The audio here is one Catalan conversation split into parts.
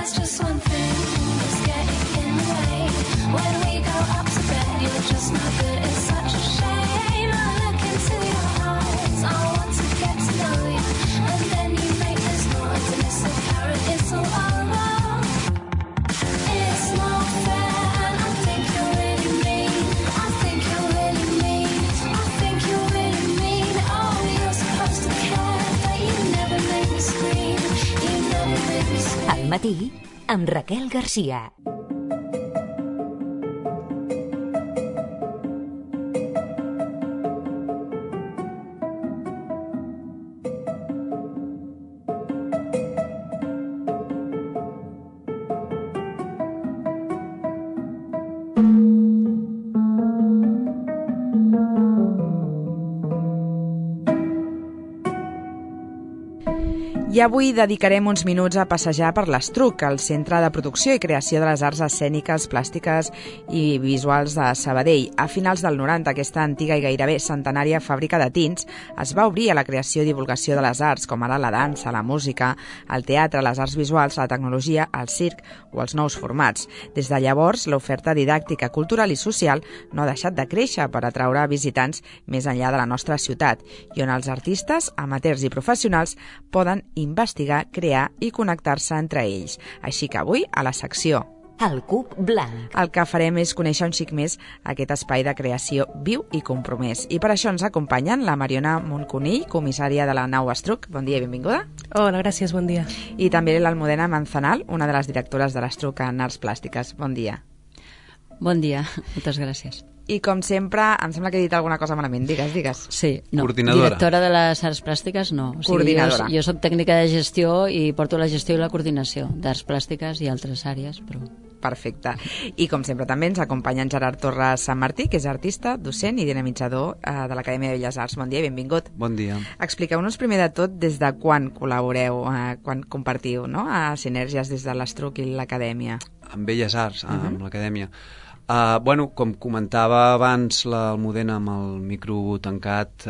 there's just one thing that's getting in the way. When we go up to bed, you're just no good. It's such a shame. I look into your eyes. I want to get to know you, and then you make this noise, and it's apparent it's all over. It's not fair, and I think you're really mean. I think you're really mean. I think you're really mean. Oh, you're supposed to care, but you never make me scream. You never make me scream. Al matí, amb Raquel Garcia. I avui dedicarem uns minuts a passejar per l'Estruc, el Centre de Producció i Creació de les Arts Escèniques, Plàstiques i Visuals de Sabadell. A finals del 90, aquesta antiga i gairebé centenària fàbrica de tints es va obrir a la creació i divulgació de les arts, com ara la dansa, la música, el teatre, les arts visuals, la tecnologia, el circ o els nous formats. Des de llavors, l'oferta didàctica, cultural i social no ha deixat de créixer per atraure visitants més enllà de la nostra ciutat, i on els artistes, amateurs i professionals poden investigar, crear i connectar-se entre ells. Així que avui, a la secció El Cub Blanc, el que farem és conèixer un xic més aquest espai de creació viu i compromès. I per això ens acompanyen la Mariona Moncunill, comissària de la nau Estruc. Bon dia i benvinguda. Hola, gràcies, bon dia. I també l'Almudena Manzanal, una de les directores de l'Estruc en Arts Plàstiques. Bon dia. Bon dia, moltes gràcies. I com sempre, em sembla que he dit alguna cosa malament. Digues. Sí, no. Coordinadora. Directora de les arts plàstiques, no. O sigui, Coordinadora. Jo soc tècnica de gestió i porto la gestió i la coordinació d'arts plàstiques i altres àrees, però... Perfecte. I com sempre també ens acompanya en Gerard Torres Sant Martí, que és artista, docent i dinamitzador de l'Acadèmia de Belles Arts. Bon dia i benvingut. Bon dia. Expliqueu-nos primer de tot des de quan col·laboreu, quan compartiu, no?, a Sinergies des de l'Estruc i l'Acadèmia. Amb Belles Arts, amb l'Acadèmia. Bueno, com comentava abans l'Almudena amb el micro tancat,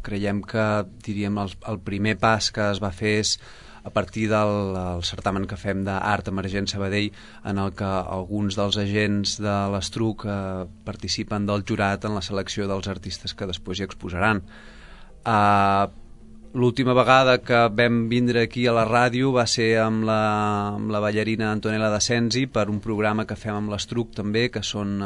creiem que, diríem, el primer pas que es va fer és a partir del certamen que fem d'Art Emergent Sabadell, en el que alguns dels agents de l'Estruc participen del jurat en la selecció dels artistes que després hi exposaran. L'última vegada que vam vindre aquí a la ràdio va ser amb la ballarina Antonella de Sensi per un programa que fem amb l'Estruc també, que són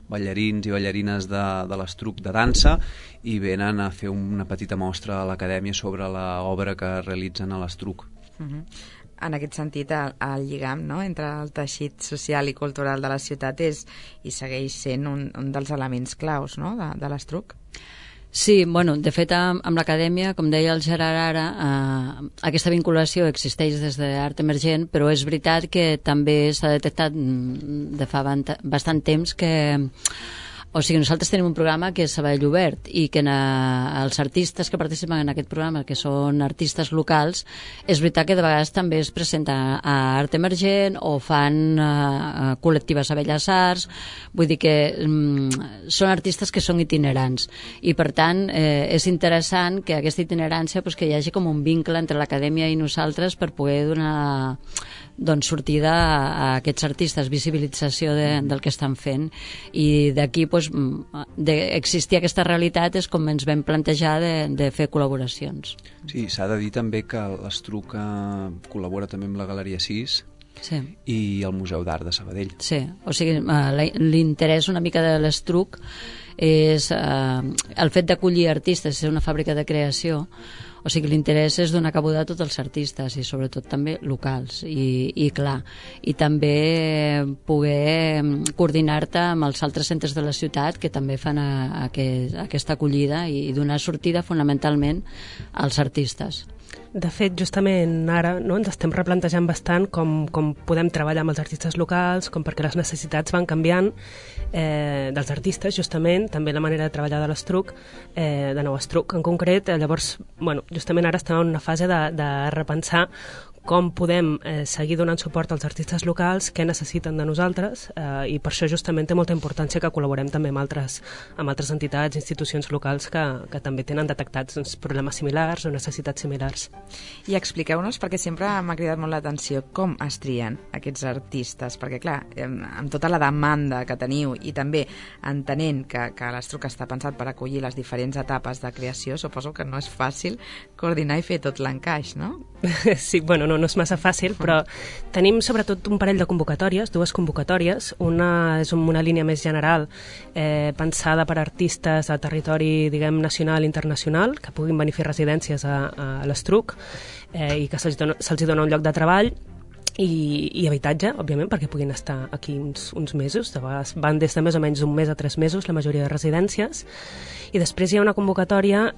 ballarins i ballarines de l'Estruc de dansa, i venen a fer una petita mostra a l'Acadèmia sobre l'obra que realitzen a l'Estruc. En aquest sentit, el lligam, no?, entre el teixit social i cultural de la ciutat és i segueix sent un dels elements claus, no?, de l'Estruc. Sí, bueno, de fet, amb l'Acadèmia, com deia el Gerard ara, aquesta vinculació existeix des d'Art Emergent, però és veritat que també s'ha detectat de fa bastant temps que... O sigui, nosaltres tenim un programa que és Sabadell Obert i que els artistes que participen en aquest programa, que són artistes locals, és veritat que de vegades també es presenta a Art Emergent o fan col·lectives a Belles Arts, vull dir que són artistes que són itinerants i per tant és interessant que aquesta itinerància, que hi hagi com un vincle entre l'Acadèmia i nosaltres per poder donar sortida a aquests artistes, visibilització del que estan fent, i d'aquí d'existir aquesta realitat és com ens vam plantejar de fer col·laboracions. Sí, s'ha de dir també que l'Estruc col·labora també amb la Galeria 6 i el Museu d'Art de Sabadell. Sí, o sigui, l'interès una mica de l'Estruc és el fet d'acollir artistes, és una fàbrica de creació. O sigui, l'interès és donar cabuda a tots els artistes i sobretot també locals i clar, i també poder coordinar-te amb els altres centres de la ciutat que també fan aquesta acollida i donar sortida fonamentalment als artistes. De fet, justament ara ens estem replantejant bastant com podem treballar amb els artistes locals, com perquè les necessitats van canviant dels artistes, justament, també la manera de treballar de l'Estruc, de nou Estruc en concret. Llavors, justament ara estem en una fase de repensar com podem seguir donant suport als artistes locals, què necessiten de nosaltres, i per això justament té molta importància que col·laborem també amb altres entitats, institucions locals que també tenen detectats problemes similars o necessitats similars. I expliqueu-nos, perquè sempre m'ha cridat molt l'atenció, com es trien aquests artistes, perquè clar, amb tota la demanda que teniu i també entenent que l'Estruc està pensat per acollir les diferents etapes de creació, suposo que no és fàcil coordinar i fer tot l'encaix, no? Sí, bueno, no és massa fàcil, però tenim sobretot un parell de convocatòries, 2 convocatòries. Una és una línia més general pensada per artistes a territori, diguem, nacional i internacional, que puguin venir a fer residències a l'Estruc i que se'ls dona un lloc de treball i habitatge, òbviament, perquè puguin estar aquí uns mesos. De vegades van des de més o menys un mes a 3 mesos la majoria de residències. I després hi ha una convocatòria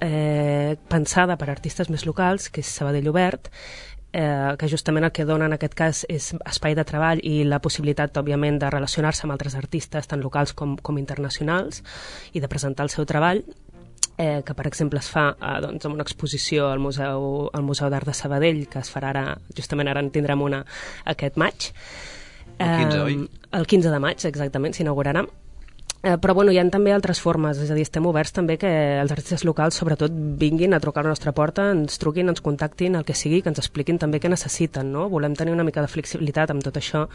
pensada per artistes més locals, que és Sabadell Obert, que justament el que dona en aquest cas és espai de treball i la possibilitat, òbviament, de relacionar-se amb altres artistes, tant locals com internacionals, i de presentar el seu treball, que per exemple es fa doncs, amb una exposició al Museu d'Art de Sabadell, que es farà ara, justament ara en tindrem una aquest maig. El 15, oi? El 15 de maig, exactament, s'inaugurarà. Però bueno, hi ha també altres formes, és a dir, estem oberts també que els artistes locals sobretot vinguin a trucar a la nostra porta, ens truquin, ens contactin, el que sigui, que ens expliquin també què necessiten, no? Volem tenir una mica de flexibilitat amb tot això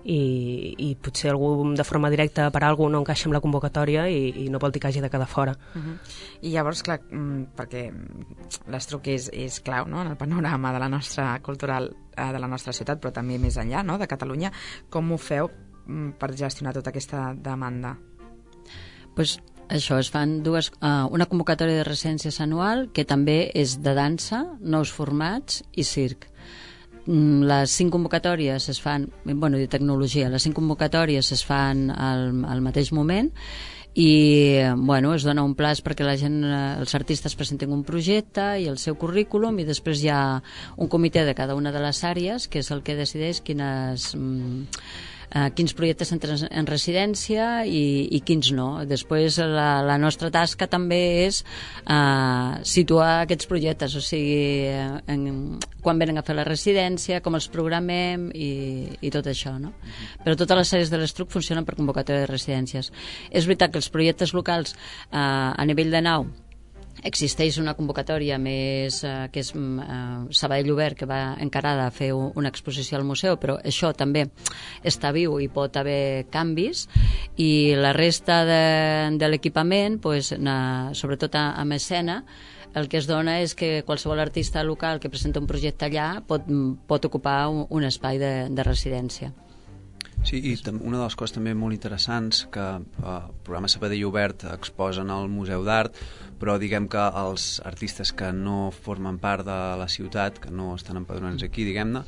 i potser algú de forma directa per algú no encaixa amb la convocatòria i no vol dir que hagi de quedar fora. I llavors, clar, perquè l'Estruc és clau, no?, en el panorama de la nostra cultural de la nostra ciutat, però també més enllà, no?, de Catalunya, com ho feu per gestionar tota aquesta demanda? Pues això, es fan una convocatòria de residències anual que també és de dansa, nous formats i circ. Les 5 convocatòries es fan, bueno, de tecnologia, les 5 convocatòries es fan al mateix moment i bueno, es dona un plaç perquè la gent, els artistes presentin un projecte i el seu currículum i després hi ha un comitè de cada una de les àrees que és el que decideix quins projectes entren en residència i quins no. Després la nostra tasca també és situar aquests projectes, o sigui, quan venen a fer la residència, com els programem i tot això, no? Però totes les àrees de l'Estruc funcionen per convocatòria de residències. És veritat que els projectes locals a nivell de nau existeix una convocatòria més que és Sabadell Obert, que va encarada a fer una exposició al museu, però això també està viu i pot haver canvis, i la resta de l'equipament, pues, sobretot amb escena, el que es dona és que qualsevol artista local que presenta un projecte allà pot ocupar un espai de residència. Sí, i una de les coses també molt interessants que el programa Sabadell Obert exposen al Museu d'Art, però diguem que els artistes que no formen part de la ciutat, que no estan empadronats aquí, diguem-ne,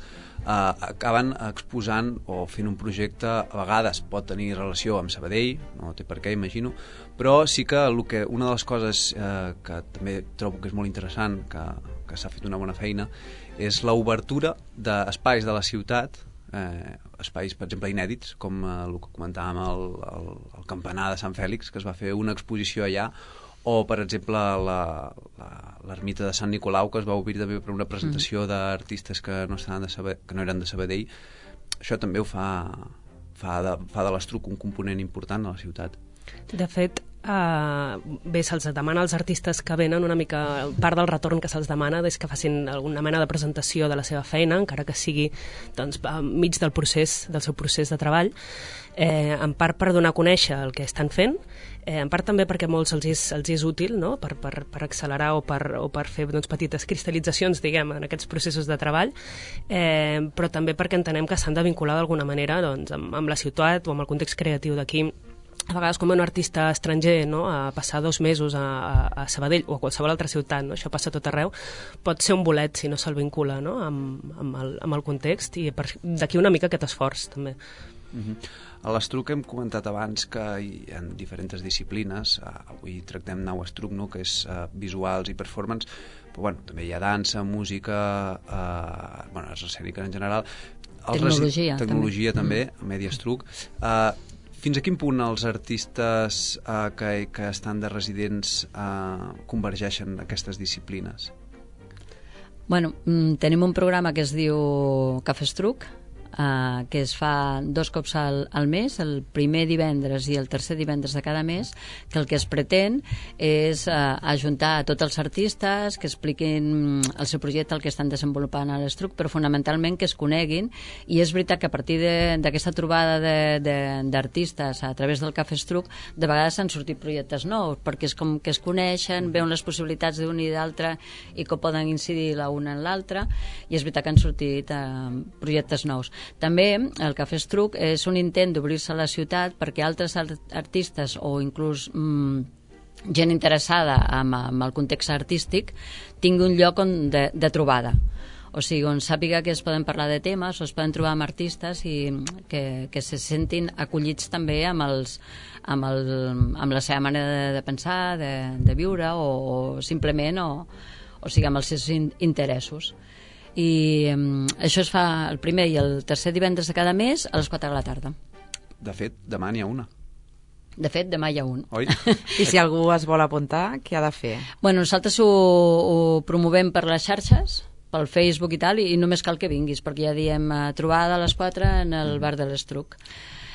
acaben exposant o fent un projecte, a vegades pot tenir relació amb Sabadell, no té per què, imagino, però sí que una de les coses que també trobo que és molt interessant, que s'ha fet una bona feina, és l'obertura d'espais de la ciutat, espais, per exemple, inèdits, com el que comentàvem el campanar de Sant Fèlix, que es va fer una exposició allà, o, per exemple, l'ermita de Sant Nicolau, que es va obrir també per una presentació d'artistes que no eren de Sabadell. Això també ho fa de l'Estruc un component important a la ciutat. De fet, bé, se'ls demana als artistes que venen una mica, part del retorn que se'ls demana és que facin alguna mena de presentació de la seva feina, encara que sigui doncs, enmig del seu procés de treball, en part per donar a conèixer el que estan fent, en part també perquè a molts els és útil, no?, per accelerar o per fer doncs, petites cristal·litzacions, diguem, en aquests processos de treball, però també perquè entenem que s'han de vincular d'alguna manera doncs, amb la ciutat o amb el context creatiu d'aquí. A vegades, com un artista estranger, no?, a passar 2 mesos a Sabadell o a qualsevol altra ciutat, no?, això passa tot arreu, pot ser un bolet si no se'l vincula, no?, amb el context, i d'aquí una mica aquest esforç també. A l'Estruc hem comentat abans que hi ha diferents disciplines, avui tractem Nau Estruc, no?, que és visuals i performance, però bueno, també hi ha dansa, música, arts escèniques en general, tecnologia també, Medi Estruc. Fins a quin punt els artistes que estan de residents convergeixen aquestes disciplines? Bueno, tenim un programa que es diu Cafè Estruc, que es fa 2 cops al mes, el primer divendres i el tercer divendres de cada mes, que el que es pretén és ajuntar a tots els artistes que expliquin el seu projecte, el que estan desenvolupant a l'Estruc, però fonamentalment que es coneguin, i és veritat que a partir d'aquesta trobada d'artistes a través del Cafè Estruc, de vegades han sortit projectes nous, perquè és com que es coneixen, veuen les possibilitats d'un i d'altre i que poden incidir l'una en l'altra, i és veritat que han sortit projectes nous. També el Cafè Estruc és un intent d'obrir-se a la ciutat perquè altres artistes o inclús gent interessada en el context artístic tingui un lloc de trobada. O sigui, on sàpiga que es poden parlar de temes o es poden trobar amb artistes i que se sentin acollits també amb la seva manera de pensar, de viure o simplement o sigui, amb els seus interessos. I això es fa el primer i el tercer divendres de cada mes a les 4 de la tarda. De fet, demà n'hi ha una. De fet, demà hi ha un. Oi? I si algú es vol apuntar, què ha de fer? Bueno, nosaltres ho promovem per les xarxes, pel Facebook i tal, i només cal que vinguis, perquè ja diem trobada a les 4 en el bar de l'Estruc.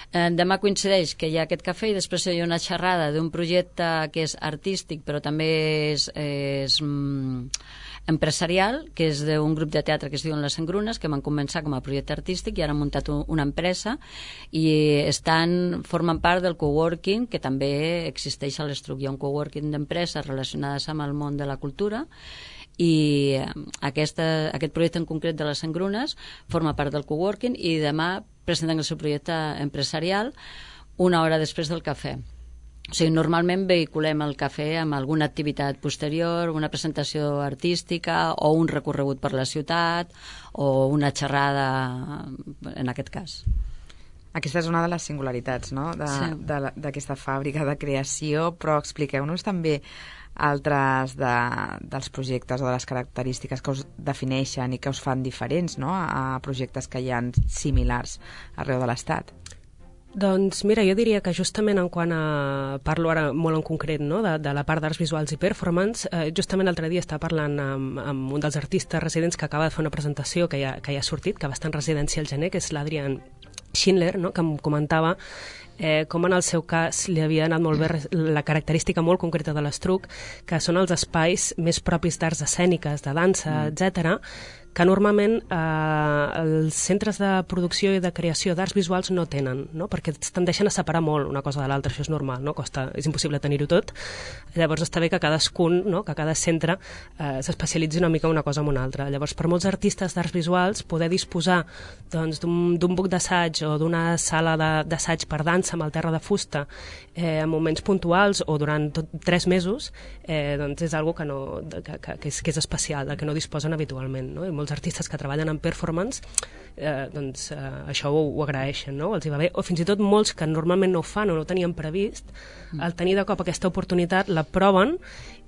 Demà coincideix que hi ha aquest cafè i després hi ha una xerrada d'un projecte que és artístic però també és empresarial, que és d'un grup de teatre que es diuen Les Engrunes, que van començar com a projecte artístic i ara han muntat una empresa i formen part del coworking que també existeix a l'Estruc. Hi ha un coworking d'empreses relacionades amb el món de la cultura i aquest projecte en concret de Les Engrunes forma part del coworking i demà presenten el seu projecte empresarial una hora després del cafè. O sigui, normalment vehiculem el cafè amb alguna activitat posterior, una presentació artística o un recorregut per la ciutat o una xerrada, en aquest cas. Aquesta és una de les singularitats, no?, d'aquesta fàbrica de creació, però expliqueu-nos també altres dels projectes o de les característiques que us defineixen i que us fan diferents, no?, a projectes que hi ha similars arreu de l'Estat. Doncs mira, jo diria que justament en quant a... Parlo ara molt en concret, no?, de la part d'arts visuals i performance. Justament l'altre dia estava parlant amb un dels artistes residents que acaba de fer una presentació que ja ha sortit, que va estar en residència al gener, que és l'Adrian Schindler, no?, que em comentava com en el seu cas li havia anat molt bé la característica molt concreta de l'Estruc, que són els espais més propis d'arts escèniques, de dansa, etc., que normalment els centres de producció i de creació d'arts visuals no tenen, no?, perquè es tendeixen a separar molt una cosa de l'altra, això és normal, no?, és impossible tenir-ho tot. Llavors està bé que cadascun, no?, que cada centre s'especialitzi una mica una cosa en una altra. Llavors, per molts artistes d'arts visuals, poder disposar doncs, d'un buc d'assaig o d'una sala d'assaig per dansa amb el terra de fusta en moments puntuals o durant 3 mesos, doncs és algo que és especial, que no disposen habitualment, no?, i molts artistes que treballen en performance això ho agraeixen, no?, els hi va bé, o fins i tot molts que normalment no ho fan o no ho tenien previst, al tenir de cop aquesta oportunitat la proven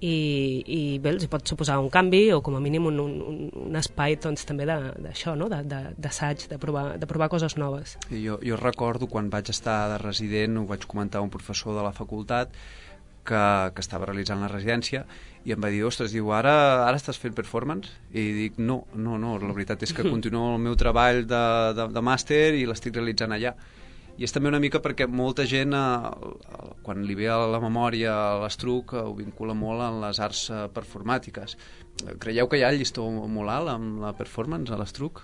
i bé, els hi pot suposar un canvi o com a mínim un espai doncs, també d'això, no?, d'assaig, de provar coses noves. Jo recordo quan vaig estar de resident, ho vaig comentar a un professor de la facultat que estava realitzant la residència i em va dir, ostres, diu, ara estàs fent performance? I dic, no, la veritat és que continuo el meu treball de màster i l'estic realitzant allà. I és també una mica perquè molta gent, quan li ve a la memòria l'Estruc, ho vincula molt en les arts performàtiques. Creieu que hi ha el llistó molt alt amb la performance a l'Estruc?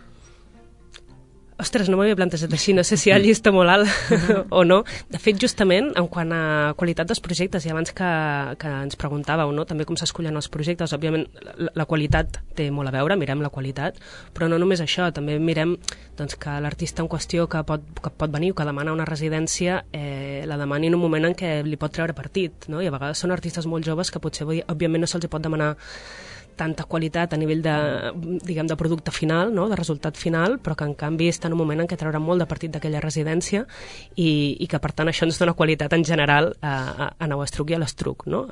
Ostres, no m'havia plantejat així, no sé si hi ha llista molt alt o no. De fet, justament, en quant a qualitat dels projectes, i abans que ens preguntàveu, no?, també com s'escullen els projectes, òbviament la qualitat té molt a veure, mirem la qualitat, però no només això, també mirem doncs, que l'artista en qüestió que pot venir o que demana una residència la demani en un moment en què li pot treure partit, no?, i a vegades són artistes molt joves que potser, òbviament, no se'ls pot demanar tanta qualitat a nivell de producte final, no?, de resultat final, però que en canvi està en un moment en què trauran molt de partit d'aquella residència i que per tant això ens dona qualitat en general a l'Estruc i a l'Estruc, no?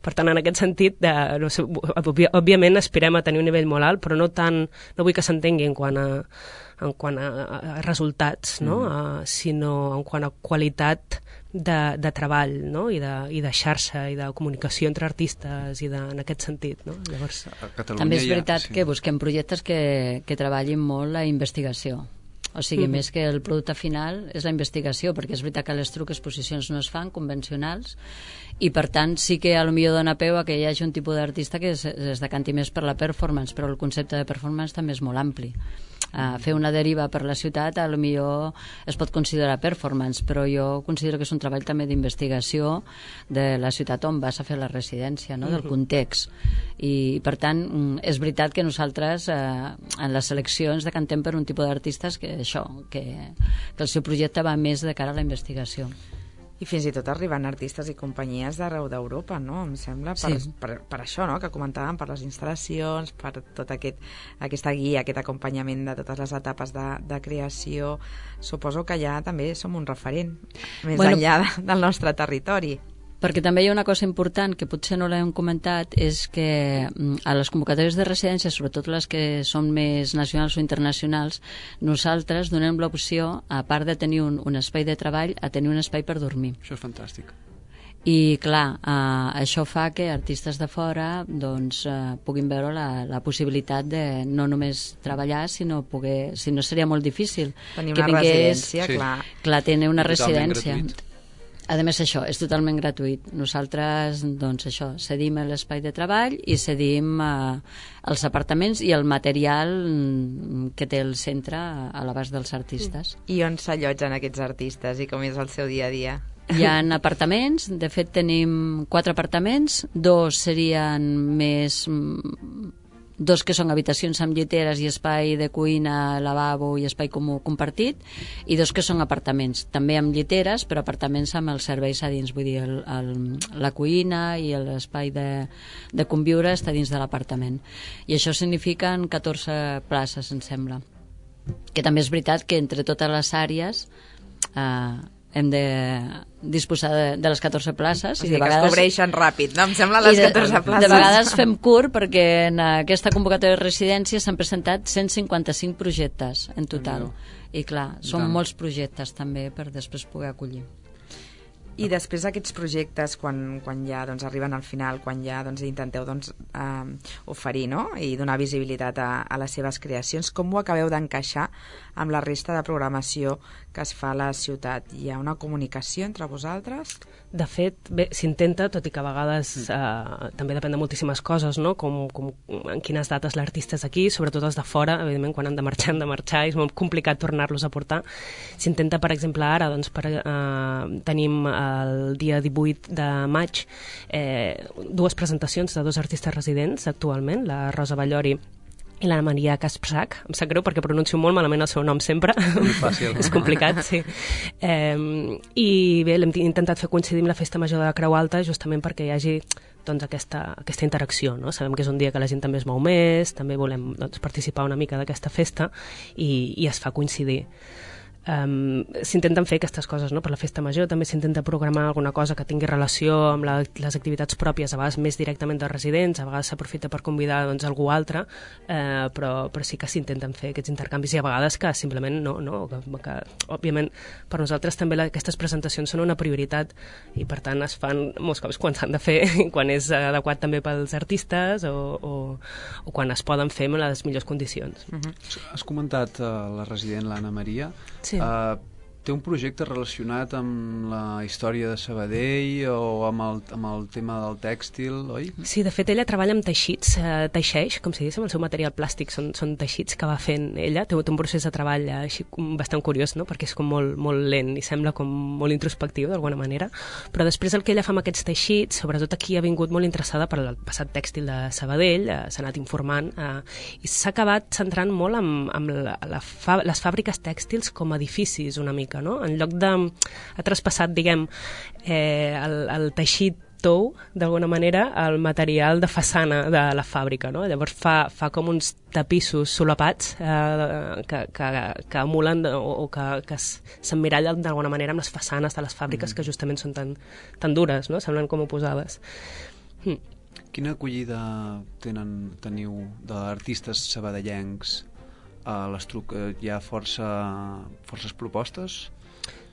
Per tant, en aquest sentit, no sé, òbviament aspirem a tenir un nivell molt alt, però no vull que s'entengui en quant a en quant a resultats, no? Sinó en quant a qualitat de treball, no? I de xarxa i de comunicació entre artistes i en aquest sentit, no? Llavors, també és veritat que busquem projectes que treballin molt la investigació. O sigui, més que el producte final és la investigació, perquè és veritat que les exposicions no es fan convencionals i per tant sí que a lo millor dona peu a que hi hagi un tipus d'artista que es decanti més per la performance, però el concepte de performance també és molt ampli. Fer una deriva per la ciutat a lo millor es pot considerar performance, però jo considero que és un treball també d'investigació de la ciutat on vas a fer la residència, no? Del context. I per tant és veritat que nosaltres en les seleccions decantem per un tipus d'artistes que el seu projecte va més de cara a la investigació. I fins i tot arriben artistes i companyies d'arreu d'Europa, no? Em sembla, per això, no?, que comentàvem, per les instal·lacions, per tot aquesta guia, aquest acompanyament de totes les etapes de creació. Suposo que ja també som un referent, més enllà del nostre territori. Perquè també hi ha una cosa important que potser no l'hem comentat, és que a les convocatòries de residència, sobretot les que són més nacionals o internacionals, nosaltres donem l'opció, a part de tenir un espai de treball, a tenir un espai per dormir. Això és fantàstic. I clar, això fa que artistes de fora puguin veure la possibilitat de no només treballar, sinó seria molt difícil tenir una residència, clar. Clar, tenir una residència. A més, això és totalment gratuït. Nosaltres, cedim l'espai de treball i cedim els apartaments i el material que té el centre a l'abast dels artistes. I on s'allotgen aquests artistes i com és el seu dia a dia? Hi ha apartaments, de fet tenim 4 apartaments, 2 serien més... 2 que són habitacions amb lliteres i espai de cuina, lavabo i espai comú compartit, i 2 que són apartaments, també amb lliteres, però apartaments amb els serveis a dins, vull dir, la cuina i l'espai de conviure està dins de l'apartament. I això signifiquen 14 places, em sembla. Que també és veritat que entre totes les àrees hem de disposar de les 14 places. O sigui, que es cobreixen ràpid, no? Em sembla les 14 places. De vegades fem curt perquè en aquesta convocatòria de residència s'han presentat 155 projectes en total. I clar, són molts projectes també per després poder acollir. I després aquests projectes, quan ja arriben al final, quan ja intenteu oferir, no?, i donar visibilitat a les seves creacions, com ho acabeu d'encaixar amb la resta de programació que es fa a la ciutat? Hi ha una comunicació entre vosaltres? De fet, bé, s'intenta, tot i que a vegades també depèn de moltíssimes coses, no?, com en quines dates l'artista és aquí, sobretot els de fora, evidentment, quan han de marxar, és molt complicat tornar-los a portar. S'intenta, per exemple, ara, tenim el dia 18 de maig 2 presentacions de 2 artistes residents actualment, la Rosa Ballori i la Maria Kasprzak. Em sap greu perquè pronuncio molt malament el seu nom sempre. Fàcil. És complicat, sí. I bé, l'hem intentat fer coincidir amb la Festa Major de la Creu Alta justament perquè hi hagi aquesta interacció, no? Sabem que és un dia que la gent també es mou més, també volem participar una mica d'aquesta festa i es fa coincidir. S'intenten fer aquestes coses, no? Per la Festa Major també s'intenta programar alguna cosa que tingui relació amb les activitats pròpies, a vegades més directament dels residents, a vegades s'aprofita per convidar algú altre, però sí que s'intenten fer aquests intercanvis i a vegades que simplement que òbviament per nosaltres també aquestes presentacions són una prioritat i per tant es fan molts cops quan s'han de fer, quan és adequat també pels artistes o quan es poden fer en les millors condicions. Has comentat la resident, l'Anna Maria. Sí. Té un projecte relacionat amb la història de Sabadell o amb el tema del tèxtil, oi? Sí, de fet ella treballa amb teixits, teixeix, com si diguéssim, el seu material plàstic són teixits que va fent ella, té un procés de treball així bastant curiós, no? Perquè és com molt lent i sembla com molt introspectiu d'alguna manera, però després el que ella fa amb aquests teixits, sobretot aquí ha vingut molt interessada per el passat tèxtil de Sabadell, s'ha anat informant i s'ha acabat centrant molt amb les fàbriques tèxtils com a edificis una mica, no? En lloc de... ha traspassat, diguem, el teixit tou, d'alguna manera, el material de façana de la fàbrica, no? Llavors fa com uns tapissos solapats que emulen o que s'emmirallen d'alguna manera amb les façanes de les fàbriques que justament són tan dures, no? Semblen com oposades. Quina acollida teniu d'artistes sabadellencs a l'Estruc hi ha forces propostes?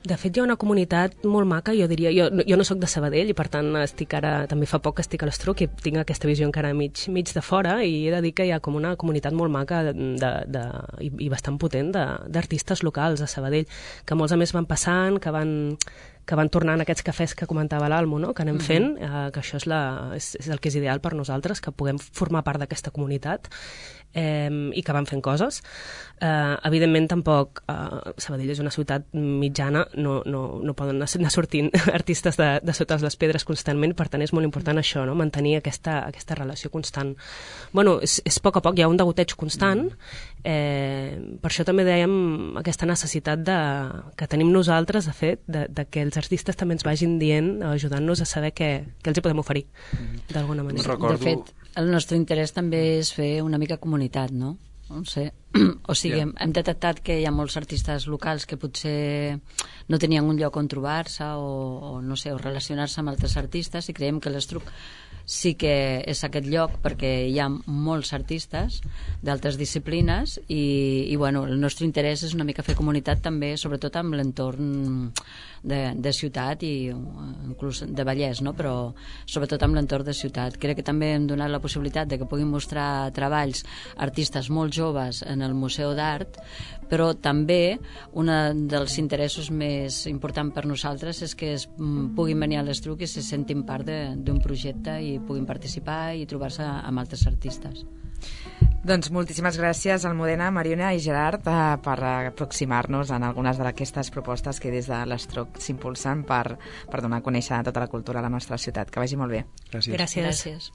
De fet, hi ha una comunitat molt maca, jo diria. Jo no sóc de Sabadell i, per tant, també fa poc que estic a l'Estruc i tinc aquesta visió encara mig de fora, i he de dir que hi ha com una comunitat molt maca i bastant potent d'artistes locals a Sabadell, que molts a més van passant, que van tornant aquests cafès que comentava l'Almo, no? Que anem fent, que això és el que és ideal per nosaltres, que puguem formar part d'aquesta comunitat i que van fent coses. Evidentment, tampoc Sabadell és una ciutat mitjana, no poden anar sortint artistes de sota les pedres constantment, per tant és molt important això, no? Mantenir aquesta relació constant. Bueno, és poc a poc, hi ha un degoteig constant, per això també dèiem aquesta necessitat que tenim nosaltres, de fet, de que els artistes també ens vagin dient, ajudant-nos a saber què els hi podem oferir, d'alguna manera. De fet, el nostre interès també és fer una mica comunitat, no? No sé. O sigui, hem detectat que hi ha molts artistes locals que potser no tenien un lloc on trobar-se o no sé, o relacionar-se amb altres artistes, i creiem que l'Estruc sí que és aquest lloc perquè hi ha molts artistes d'altres disciplines i bueno, el nostre interès és una mica fer comunitat també, sobretot amb l'entorn de ciutat i inclús de Vallès, no? Però sobretot amb l'entorn de ciutat. Crec que també hem donat la possibilitat de que puguin mostrar treballs artistes molt joves en el Museu d'Art, però també un dels interessos més importants per nosaltres és que puguin venir a l'Estruc i se sentin part d'un projecte i puguin participar i trobar-se amb altres artistes. Doncs moltíssimes gràcies, Almudena, Mariona i Gerard, per aproximar-nos en algunes d'aquestes propostes que des de l'Estruc s'impulsen per donar a conèixer tota la cultura a la nostra ciutat. Que vagi molt bé. Gràcies. Gràcies.